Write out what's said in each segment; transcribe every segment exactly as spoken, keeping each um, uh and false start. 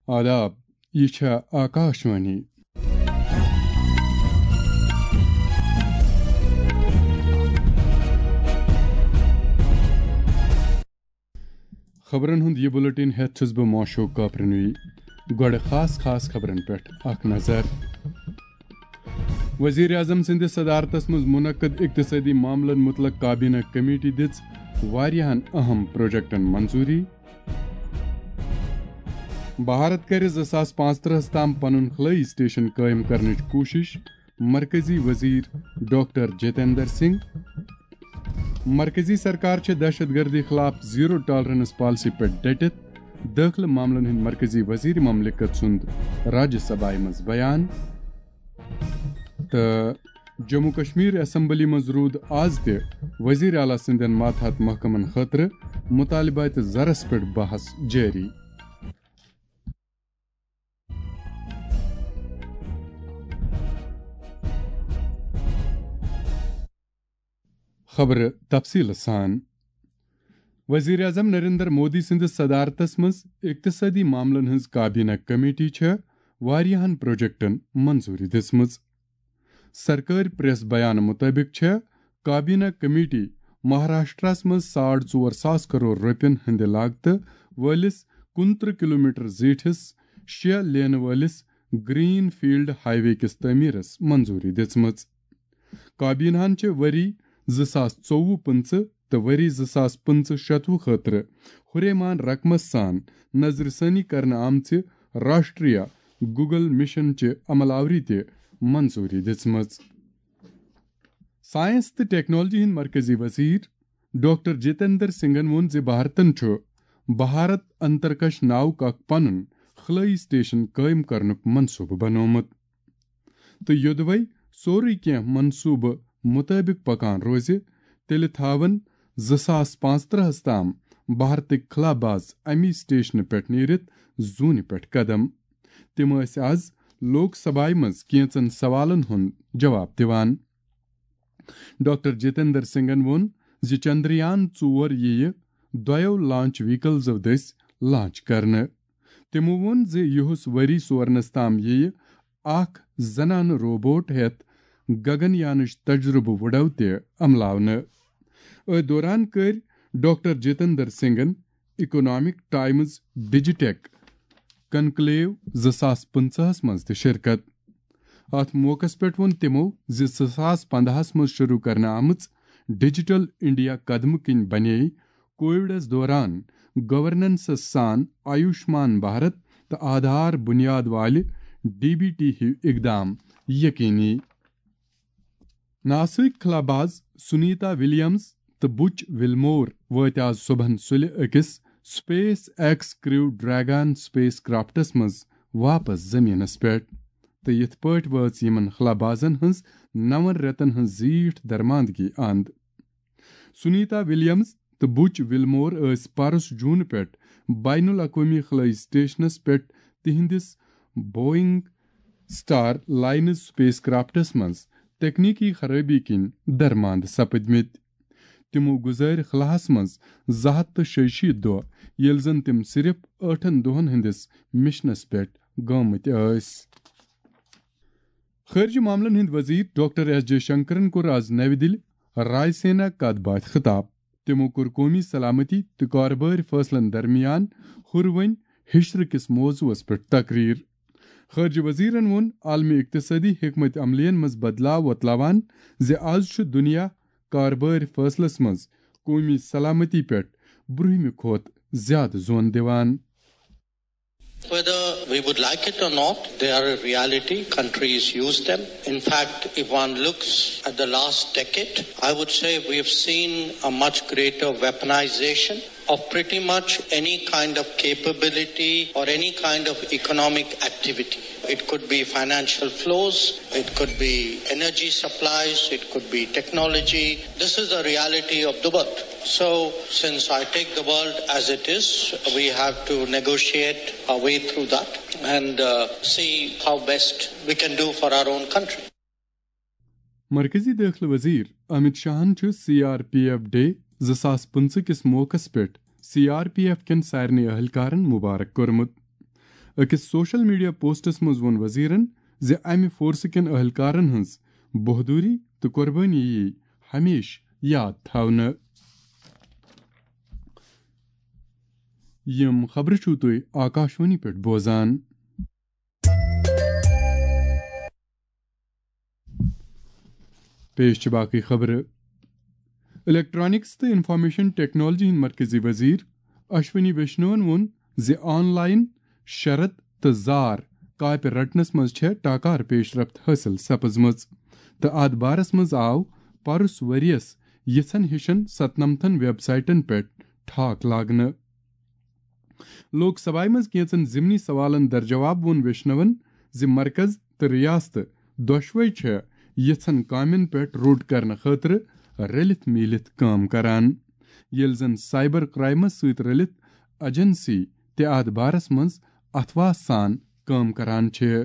آداب، یہِ چھےٚ آکاشوانی۔ خبرن ہُنٛد یہِ بُلٹن ہٮ۪تھ چھُس بہٕ موشوق کاپرنوی۔ گۄڈٕ خاص خاص خبرن پٮ۪ٹھ اکھ نظر۔ وزیر اعظم سٕنٛدِس صدارتس منٛز منعقد اقتصٲدی معاملن متعلق کابینہ کمیٹی دِژ واریاہن اہم پروجیکٹن منظوٗری۔ بھارت کرِ زٕ ساس پانٛژترٕہس تام پنُن خلٲیی سٹیشن قٲیِم کرنٕچ کوٗشش، مرکزی وزیر ڈاکٹر جتیندر سنگھ۔ مرکزی سرکار چھِ دہشت گردی خلاف زیرو ٹالرنس پالیسی پٮ۪ٹھ ڈٔٹِتھ، دٲخلہٕ معاملن ہٕنٛدۍ مرکزی وزیر مملکت سُنٛد راجیہ سبھایہ منٛز بیان۔ تہٕ جموں کشمیر اسمبلی منٛز روٗد آز تہِ وزیر اعلیٰ سٕنٛدٮ۪ن ماتحت محکمن خٲطرٕ مطالبات زرس پٮ۪ٹھ بحث جٲری۔ خبرٕ تفصیٖلہٕ سان۔ وزیر اعظم نریندر مودی سٕنٛدِس صدارتس منٛز اقتصٲدی معاملن ہٕنٛز کابینہ کمیٹی چھےٚ واریاہن پروجیکٹن منظوٗری دِژمٕژ۔ سرکٲرۍ پریس بیان مطٲبق چھےٚ کابینہ کمیٹی مہاراشٹرس منٛز ساڑ ژور ساس کرور رۄپین ہٕنٛدِ لاگتہٕ وٲلِس کُنترٕہ کلومیٹر زیٖٹھِس شےٚ لینہٕ وٲلِس گرین فیلڈ ہائی وے کِس تعمیرس منظوٗری دِژمٕژ۔ کابینہن چھِ ؤری زٕ ساس ژوٚوُہ پٕنٛژٕہ تہٕ ؤری زٕ ساس پٕنٛژٕہ شتوُہ خٲطرٕ ہُریمان رقمس سان نظرِ ثٲنی کرنہٕ آمژِ راشٹریہ گوگل مشن چہِ عمل آوری تہِ منظوٗری دِژمٕژ۔ ساینس تہٕ ٹیکنالوجی ہٕنٛدۍ مرکزی وزیر ڈاکٹر جتیندر سنگھن ووٚن زِ بھارتن چھُ بھارت انترکش ناوُک اکھ پنُن خلٲیی سٹیشن قٲیِم کرنُک منصوٗبہٕ بنوومُت۔ تہٕ یوٚدوَے سورُے کینٛہہ منصوٗبہٕ مُطٲبِق پکان روزِ، تیٚلہِ تھاون زٕ ساس پانٛژترٕہس تام بھارتٕکۍ خلاباز اَمی سٹیشنہٕ پٮ۪ٹھ نیٖرِتھ زوٗنہِ پٮ۪ٹھ قدم۔ تِم ٲسۍ از لوک سبھایہ منٛز کینٛژن سوالن ہُنٛد جواب دِوان۔ ڈاکٹر جتیندر سنگھن ووٚن زِ چندریان ژور یِیہِ دۄیو لانچ ویکلزو دٔسۍ لانچ کرنہٕ۔ تِمو ووٚن زِ یُہُس ؤری سورنس تام یِیہِ اکھ زنانہٕ روبوٹ ہٮ۪تھ گگن یانٕچ تجرُبہٕ وُڈو تہِ عملاونہٕ۔ أتھۍ دوران کٔرۍ ڈاکٹر جتیندر سنگھن اکنامک ٹائمز ڈیجیٹیک کنکلیو زٕ ساس پٕنٛژٕہس منٛز تہِ شرکت۔ اتھ موقعس پٮ۪ٹھ ووٚن تِمو زِ زٕ ساس پنٛداہس منٛز شروع کرنہٕ آمٕژ ڈیجیٹل انڈیا قدمہٕ کِنۍ بنے کووڈس دوران گورننسس سان آیوشمان بھارت تہٕ آدھار بنیاد والہِ ڈی بی ٹی ہیو اقدام یقینی۔ ناسٕکۍ خلاباز سنیتا ولیمز تہٕ بُچ وِلمور وٲتۍ آز صبحن سُلہِ أکِس سپیس ایکس کریو ڈریگن سپیس کرافٹس منٛز واپس زمینس پٮ۪ٹھ، تہٕ یِتھ پٲٹھۍ وٲژ یِمن خلابازن ہٕنٛز نون رٮ۪تن ہٕنٛز زیٖٹھ درماندگی اند۔ سنیتا ولیمز تہٕ بُچ وِلمور ٲسۍ پرُس جون پٮ۪ٹھ بین الاقوٲمی خلٲیی سٹیشنس پٮ۪ٹھ تِہنٛدِس Boeing star lines space crafts منٛز تکنیکی خرٲبی کِنۍ درماند سپدمٕتۍ۔ تِمو گُزٲرۍ خلاہس منٛز زٕ ہتھ تہٕ شیٚیہِ شیٖتھ دۄہ، ییٚلہِ زن تِم صرف ٲٹھن دۄہن ہٕنٛدِس مشنس پٮ۪ٹھ گٲمٕتۍ ٲسۍ۔ خارجہ معاملن ہٕنٛدۍ وزیر ڈاکٹر ایس جے شنکرن کوٚر آز نَوِ دِلہِ رائے سینا کتھ باتھِ خطاب۔ تِمو کوٚر قومی سلامتی تہٕ کارٕبٲرۍ فٲصلن درمیان ہُروٕنۍ ہِشرٕ کِس موضوعس پٮ۪ٹھ تقریر۔ خارجہ وزیرن ووٚن عالمی اقتصٲدی حکمت عملین منٛز بدلاو وۄتلاوان زِ آز چھُ دُنیا کارٕبٲرۍ فٲصلس منٛز قومی سلامتی پٮ۪ٹھ برٛونٛہمہِ کھۄتہٕ زیادٕ زون دِوان۔ Whether we would like it or not, they are a reality. Countries use them. In fact, if one looks at the last decade, I would say we have seen a much greater weaponization of pretty much any kind of capability or any kind of economic activity. It could be financial flows, it could be energy supplies, it could be technology. This is the reality of the world. So, since I take the world as it is, we have to negotiate our way through that and uh, see how best we can do for our own country. مرکزی دٲخلہٕ وزیر امت شاہن چھُ C R P F day زٕ ساس پٕنٛژٕہ کِس موقعس پٮ۪ٹھ سی آر پی ایف کٮ۪ن سارنٕے اہلکارن مبارک کوٚرمُت۔ أکِس سوشل میڈیا پوسٹس منٛز ووٚن وزیرن زِ امہِ فورسہٕ کٮ۪ن اہلکارن ہٕنٛز بہادری تہٕ قربٲنی یِیہِ ہمیشہٕ یاد تھاونہٕ۔ یِم خبرٕ چھِو تُہۍ آکاشوانی پٮ۪ٹھ بوزان۔ پیش چھِ باقٕے خبرٕ۔ الیکٹرانکس تہٕ انفارمیشن ٹیکنالوجی ہٕنٛدۍ مرکزی وزیر اشونی ویشنون ووٚن زِ آن لائن شرط تہٕ زار کاپہِ رٹنس منٛز چھےٚ ٹاکار پیش رفت حٲصِل سپٕزمٕژ تہٕ اتھ بارس منٛز آو پرُس ؤرۍ یَس یِژھن ہِشن ستنمتھن ویب سائٹن پٮ۪ٹھ ٹھاک لاگنہٕ۔ لوک سبھایہ منٛز کینٛژن ضمنی سوالن درجواب ووٚن ویشنون زِ مرکز تہٕ ریاستہٕ دۄشوے چھےٚ یِژھن کامٮ۪ن پٮ۪ٹھ روٚٹ کرنہٕ خٲطرٕ رٔلِتھ میٖلِتھ کٲم کران، ییٚلہِ زن سائبر کرائمس سۭتۍ رٔلِتھ ایجنسی تہِ اتھ بارس منٛز اتھواس سان کٲم کران چھِ۔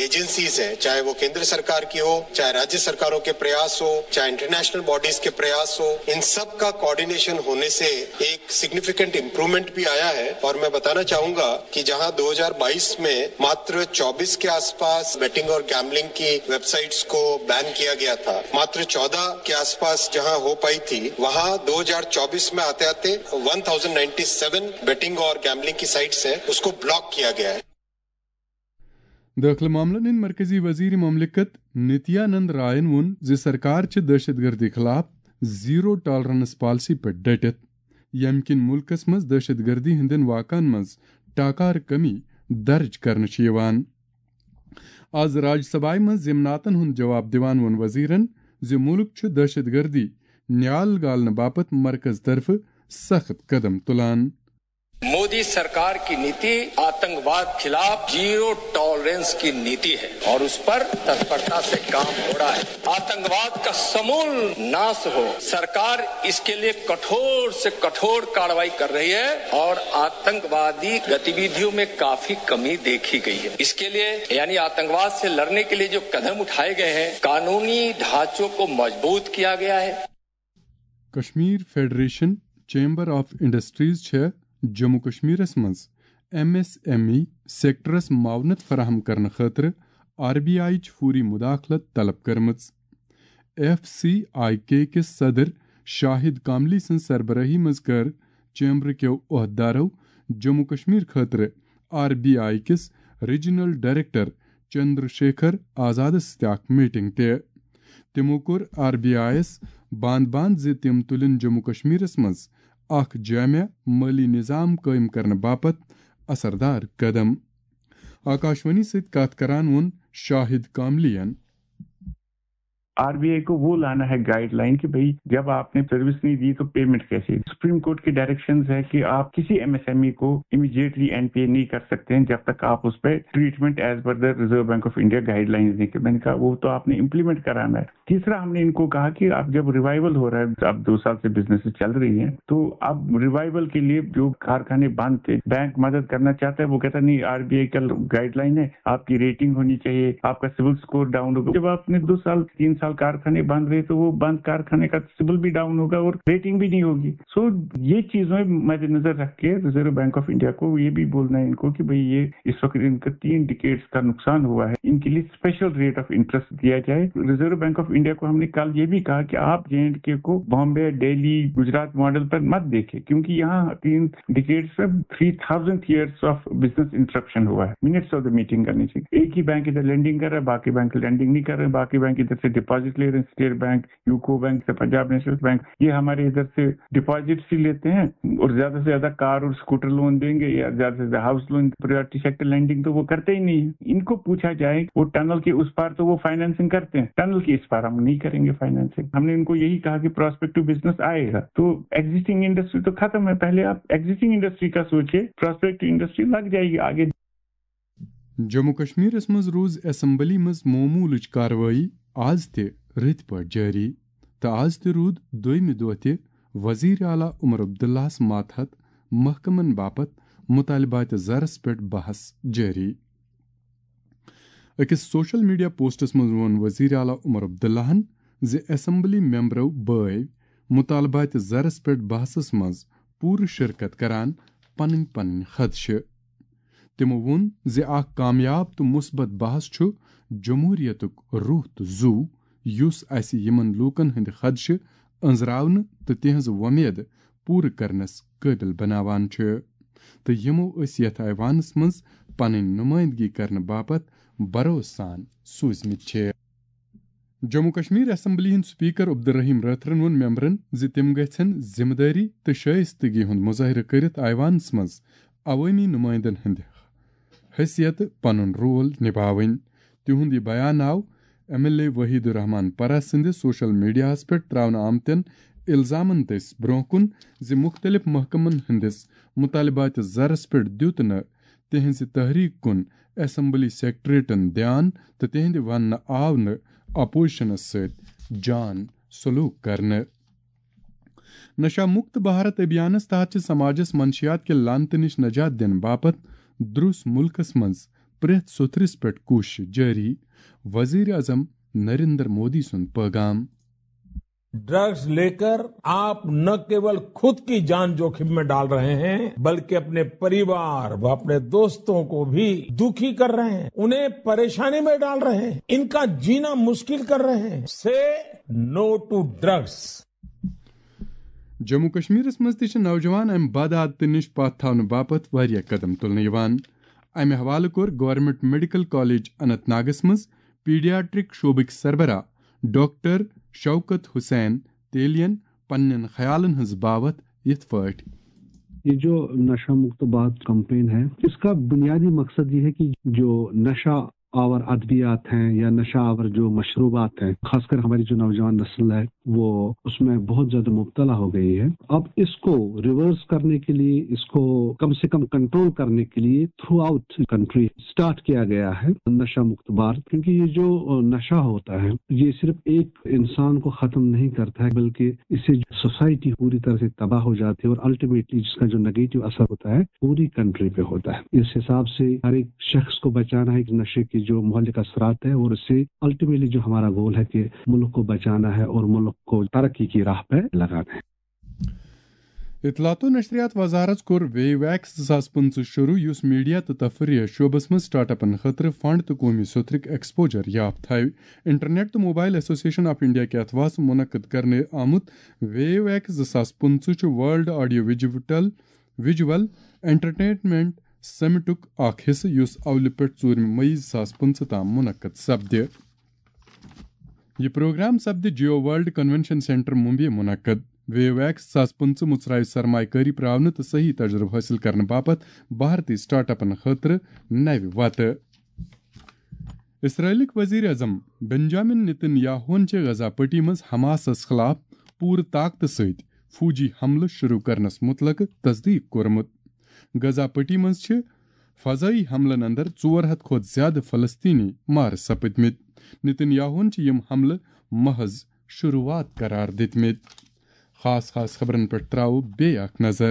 एजेंसीज हैं, चाहे वो केंद्र सरकार की हो, चाहे राज्य सरकारों के प्रयास हो, चाहे इंटरनेशनल बॉडीज के प्रयास हो, इन सब का कोऑर्डिनेशन होने से एक सिग्निफिकेंट इम्प्रूवमेंट भी आया है। और मैं बताना चाहूंगा कि जहां दो हज़ार बाईस में मात्र चौबीस के आसपास बेटिंग और गैम्बलिंग की वेबसाइट्स को बैन किया गया था, मात्र चौदह के आसपास जहां हो पाई थी, वहां दो हज़ार चौबीस में आते आते one thousand ninety seven betting और गैम्बलिंग की साइट्स हैं, उसको ब्लॉक किया गया है। دٲخلہٕ معاملن ہٕنٛدۍ مرکزی وزیر مملکت نتیانند رائن ووٚن زِ سرکار چھِ دہشت گردی خلاف زیرو ٹالرنس پالیسی پٮ۪ٹھ ڈٹِتھ، ییٚمہِ کِنۍ مُلکس منٛز دہشت گردی ہٕنٛدٮ۪ن واقعن منٛز ٹاکار کمی درج کرنہٕ چھِ یِوان۔ آز راج سبھایہ منٛز ضمناتن ہُنٛد جواب دِوان ووٚن وزیرن زِ مُلک چھُ دہشت گردی نیال گالنہٕ باپتھ مرکز طرفہٕ سخت قدم تُلان۔ मोदी सरकार की नीति आतंकवाद खिलाफ जीरो टॉलरेंस की नीति है और उस पर तत्परता से काम हो रहा है। आतंकवाद का समूल नाश हो, सरकार इसके लिए कठोर से कठोर कार्रवाई कर रही है और आतंकवादी गतिविधियों में काफी कमी देखी गई है। इसके लिए यानी आतंकवाद से लड़ने के लिए जो कदम उठाए गए हैं, कानूनी ढांचों को मजबूत किया गया है। Kashmir federation chamber of industries چھےٚ جموں کشمیرس منٛز ایم ایس ایم ای سیکٹرس معاونت فراہم کرنہٕ خٲطرٕ آر بی آئی چ فوری مداخلت طلب کٔرمٕژ۔ ایف سی آئی کے کِس صدر شاہد کاملی سٕنٛز سربرٲہی منٛز کٔر چیمبر کیو عہدیدارو جموں کشمیر خٲطرٕ آر بی آئی کِس ریجنل ڈائریکٹر چندر شیکھر آزادس سۭتۍ اکھ میٹنگ تہِ۔ تِمو کوٚر آر بی آئی یَس بانٛد بانٛد زِ تِم تُلن جموں کشمیرس منٛز اکھ جامع مٲلی نظام قٲیِم کرنہٕ باپتھ اثردار قدم۔ آکاشوانی سۭتۍ کتھ کران ووٚن شاہد کاملی ین۔ آر بی آئی کو وہ لانا ہے گائیڈ لائن کہ بھائی، جب آپ نے سروس نہیں دی تو پیمنٹ کیسے؟ سپریم کورٹ کے ڈائریکشنز ہے کہ آپ کسی ایم ایس ایم ای کو امیڈیٹلی این پی اے نہیں کر سکتے ہیں جب تک آپ اس پہ treatment as per the reserve bank of India guidelines نہیں کریں۔ میں نے کہا وہ تو آپ نے امپلیمنٹ کرانا ہے۔ تیسرا ہم نے ان کو کہا کہ اب جب ریوائیول ہو رہا ہے، اب دو سال سے بزنس چل رہی ہیں، تو اب ریوائیول کے لیے جو کارخانے بند تھے، بینک مدد کرنا چاہتا ہے، وہ کہتا نہیں، آر بی آئی کا گائیڈ لائن ہے، آپ کی ریٹنگ ہونی چاہیے، آپ کا سول اسکور ڈاؤن ہوگا۔ جب آپ نے دو سال تین سال کارخانے بند رہے تو وہ بند کارخانے کا سول بھی ڈاؤن ہوگا اور ریٹنگ بھی نہیں ہوگی۔ سو یہ چیزیں مد نظر رکھ کے ریزرو بینک آف انڈیا کو یہ بھی بولنا ہے ان کو کہ بھئی، یہ اس وقت ان کا تین ڈیکیڈز کا نقصان ہوا ہے، ان کے لیے اسپیشل ریٹ آف انٹرسٹ دیا جائے۔ ریزرو بینک آف انڈیا کو ہم نے کل یہ بھی کہا کہ آپ جے اینڈ کے کو بامبے، دہلی، گجرات ماڈل پر مت دیکھیں، کیونکہ یہاں تین ڈیکیڈز میں three thousand years of business interruption ہوا ہے۔ منٹس آف دا میٹنگ کرنی چاہیے۔ ایک ہی بینک ادھر لینڈنگ کر رہا ہے، باقی بینک لینڈنگ نہیں کر رہے، باقی بینک ادھر سے ڈپازٹ لے رہے ہیں، اسٹیٹ بینک، یوکو بینک سے، پنجاب نیشنل بینک، یہ ہمارے ادھر سے ڈپازٹ ہی لیتے ہیں اور زیادہ سے زیادہ کار اور اسکوٹر لون دیں گے یا زیادہ سے زیادہ ہاؤس لون۔ پرائیویٹ سیکٹر لینڈنگ تو وہ کرتے ہی نہیں ہے۔ ان کو پوچھا جائے، وہ ٹنل کے اس پار تو وہ فائنانسنگ کرتے ہیں، ٹنل کے اس پار ہم نہیں کریں گے فائنانسنگ۔ ہم نے ان کو یہی کہا کہ پراسپیکٹو بزنس آئے گا، تو ایگزسٹنگ انڈسٹری تو ختم ہے، پہلے آپ ایگزسٹنگ انڈسٹری کا سوچے، پراسپیکٹو انڈسٹری لگ جائے گی آگے۔ جموں کشمیرس منٛز روٗز اسمبلی منٛز معموٗلٕچ کاروٲیی آز تہِ رٕتۍ پٲٹھۍ جٲری تہٕ آز تہِ روٗد دوٚیمہِ دۄہ تہِ وزیر اعلیٰ عمر عبداللہس ماتحت محکمن باپتھ مطالبات زرس پٮ۪ٹھ بحث جٲری۔ أکِس سوشل میڈیا پوسٹس منٛز ووٚن وزیر اعلیٰ عمر عبداللہن زِ اسمبلی ممبرو بٲوۍ مطالبات زرس پٮ۪ٹھ بحثس منٛز پوٗرٕ شرکت کران پنٕنۍ پنٕنۍ خدشہٕ۔ تِمو ووٚن زِ اکھ کامیاب تہٕ مثبت بحث چھُ جمہوٗریتُک روح تہٕ زُو، یُس اسہِ یِمن لوٗکن ہٕنٛدِ خدشہٕ، أنٛزراونہٕ تہٕ تِہنٛز وۄمید پوٗرٕ کرنس قٲبِل بناوان چھُ، تہٕ یِمو أسۍ یتھ ایوانس منٛز پنٕنۍ نُمٲیندگی کرنہٕ باپتھ بھروسہٕ سان سوٗزمٕتۍ چھِ۔ جموں کشمیر اسمبلی ہٕنٛدۍ سپیکر عبدالرحیم رٲتھرن ووٚن ممبرن زِ تِم گژھن ذمہٕ دٲری تہٕ شائستگی ہُنٛد مظٲہرٕ کٔرِتھ ایوانس منٛز عوٲمی نُمٲیندن ہٕنٛدِ حیثیتہٕ پنُن رول نباوٕنۍ۔ تِہُنٛد یہِ بیان آو ایم ایل اے وحید الرحمان پرہ سٕنٛدِ سوشل میڈیاہَس پٮ۪ٹھ ترٛاونہٕ آمتٮ۪ن الزامن دٔسۍ برٛونٛہہ کُن زِ مُختٔلِف محکمن ہٕنٛدِس مُطالباتِ زرس پٮ۪ٹھ دیُت نہٕ تِہنٛزِ تحریک کُن اسمبلی سیکرٹریٹن دیان تہٕ تِہنٛدِ وننہٕ آو نہٕ اپوزیشنس سۭتۍ جان سلوک کرنہٕ۔ نشہ مکت بھارت ابھیانس تحت چھِ سماجس منشیات کہِ لعنتہٕ نِش نجات دِنہٕ باپتھ درٛوس مُلکس منٛز پرٛٮ۪تھ سوٚتھرِس پٮ۪ٹھ کوٗشش جٲری، وزیر اعظم نریندر مودی سُنٛد پٲغام۔ ड्रग्स लेकर आप न केवल खुद की जान जोखिम में डाल रहे हैं, बल्कि अपने परिवार व अपने दोस्तों को भी दुखी कर रहे हैं, उन्हें परेशानी में डाल रहे हैं, इनका जीना मुश्किल कर रहे हैं। से नो टू ड्रग्स। جموں کشمیرس منٛز تہِ چھِ نوجوان امہِ بد عادتہٕ نِش پتھ تھاونہٕ باپتھ واریاہ قدم تُلنہٕ یِوان۔ امہِ حوالہٕ کوٚر گورنمنٹ میڈیکل کالج اننت ناگس منٛز پیڈیاٹرک شعبٕکۍ سربراہ ڈاکٹر شوکت حسین تیلین پننٮ۪ن خیالن ہٕنٛز باوتھ یِتھ پٲٹھۍ۔ یہ جو نشہ مکت بھارت کمپین ہے، اس کا بنیادی مقصد یہ ہے کہ جو نشہ آور ادویات ہیں یا نشہ آور جو مشروبات ہیں، خاص کر ہماری جو نوجوان نسل ہے، وہ اس میں بہت زیادہ مبتلا ہو گئی ہے۔ اب اس کو ریورس کرنے کے لیے، اس کو کم سے کم کنٹرول کرنے کے لیے تھرو آؤٹ کنٹری اسٹارٹ کیا گیا ہے نشہ مکت بھارت، کیونکہ یہ جو نشہ ہوتا ہے، یہ صرف ایک انسان کو ختم نہیں کرتا ہے، بلکہ اس سے سوسائٹی پوری طرح سے تباہ ہو جاتی ہے اور الٹیمیٹلی جس کا جو نیگیٹو اثر ہوتا ہے، پوری کنٹری پہ ہوتا ہے۔ اس حساب سے ہر ایک شخص کو بچانا ہے اس نشے کے جو مہلک اثرات ہیں، اور اس سے الٹیمیٹلی جو ہمارا گول ہے کہ ملک کو بچانا ہے اور ملک کو ترقی کی راہ پہ لگانا ہے۔ اطلاعات و نشریات وزارت کوٚر ویو ایکس زٕ ساس پٕنٛژٕہ شروع، یُس میڈیا تہٕ تفریح شعبس منٛز سٹارٹ اپن خٲطرٕ فنڈ تہٕ قومی سوٚتھرُک ایکسپوجر یافت تھاوِ۔ انٹرنیٹ تہٕ موبائل ایسوسیشن آف انڈیا کہِ اتھواسہٕ منعقد کرنہٕ آمُت ویو ایکس زٕ ساس پٕنٛژٕہ چھُ ورلڈ آڈیو ویجوٹل ویجول انٹرٹینمنٹ سمٹُک اکھ حصہٕ، یُس اولہِ پٮ۪ٹھ ژوٗرمہِ مئی زٕ ساس پٕنٛژٕہ تام منعقد سپدِ۔ یہِ پروگرام سپدِ Jio world convention centre Mumbai منعقد۔ ویو ایکس زٕ ساس پٕنٛژٕہ مُژراوِ سرمایہ کٲری پراونہٕ تہٕ صحیح تجربہٕ حٲصِل کرنہٕ باپتھ بھارتی سٹارٹ اپن خٲطرٕ نوِ وتہٕ۔ اسرائیلٕکۍ وزیر اعظم بنجامن نتن یاہوہن چھِ غزہ پٹی منٛز حماسس خلاف پوٗرٕ طاقتہٕ سۭتۍ فوجی حملہٕ شروع کرنس مُتعلق تصدیق کوٚرمُت۔ غزہ پٹی منٛز چھِ فضائی حملن اندر ژور ہتھ کھۄتہٕ زیادٕ فلسطینی مارٕ سپٕدمٕتۍ۔ نتن یاہوہن چھِ یِم حملہٕ محض شروعات قرار دِتمٕتۍ۔ خاص خاص خبرن پٮ۪ٹھ تراوو بیٚیہِ اکھ نظر۔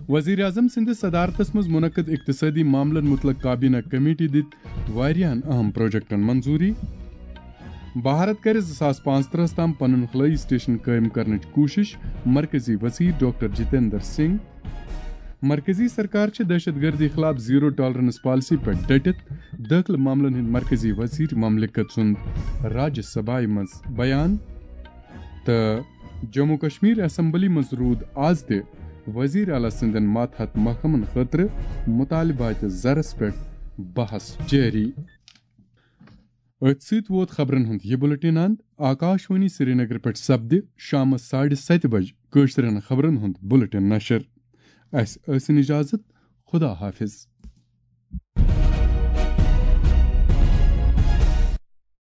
وزیر اعظم سٕنٛدِس صدارتس منٛز منعقد اقتصٲدی معاملن مُتعلق کابینہ کمیٹی دِتۍ واریاہن اہم پروجیکٹن منظوٗری۔ بھارت کرِ زٕ ساس پانٛژترٕہس تام پنُن خلٲیی سٹیشن قٲیِم کرنٕچ کوٗشش، مرکزی وزیر ڈاکٹر جتیندر سنگھ۔ مرکزی سرکار چھِ دہشت گردی خلاف زیرو ٹالرنس پالیسی پٮ۪ٹھ ڈٹِتھ، دٲخلہٕ معاملن ہٕنٛدۍ مرکزی وزیر مملکت سُنٛد راجیہ سبھایہ منٛز بیان۔ تہٕ جموں کشمیر اسمبلی منٛز روٗد آز تہِ وزیر اعلیٰ سٕنٛدٮ۪ن ماتحت محکمن خٲطرٕ مطالباتِ زرس پٮ۪ٹھ بحث جٲری۔ أتھۍ سۭتۍ ووت خبرن ہُنٛد یہِ بُلٹن اند۔ آکاش وانی سرینگر پٮ۪ٹھ سپدِ شامس ساڑِ ستہِ بجہِ کٲشرٮ۪ن خبرن ہُنٛد بُلٹن نشر۔ اسہِ ٲسِن اجازت۔ خدا حافظ۔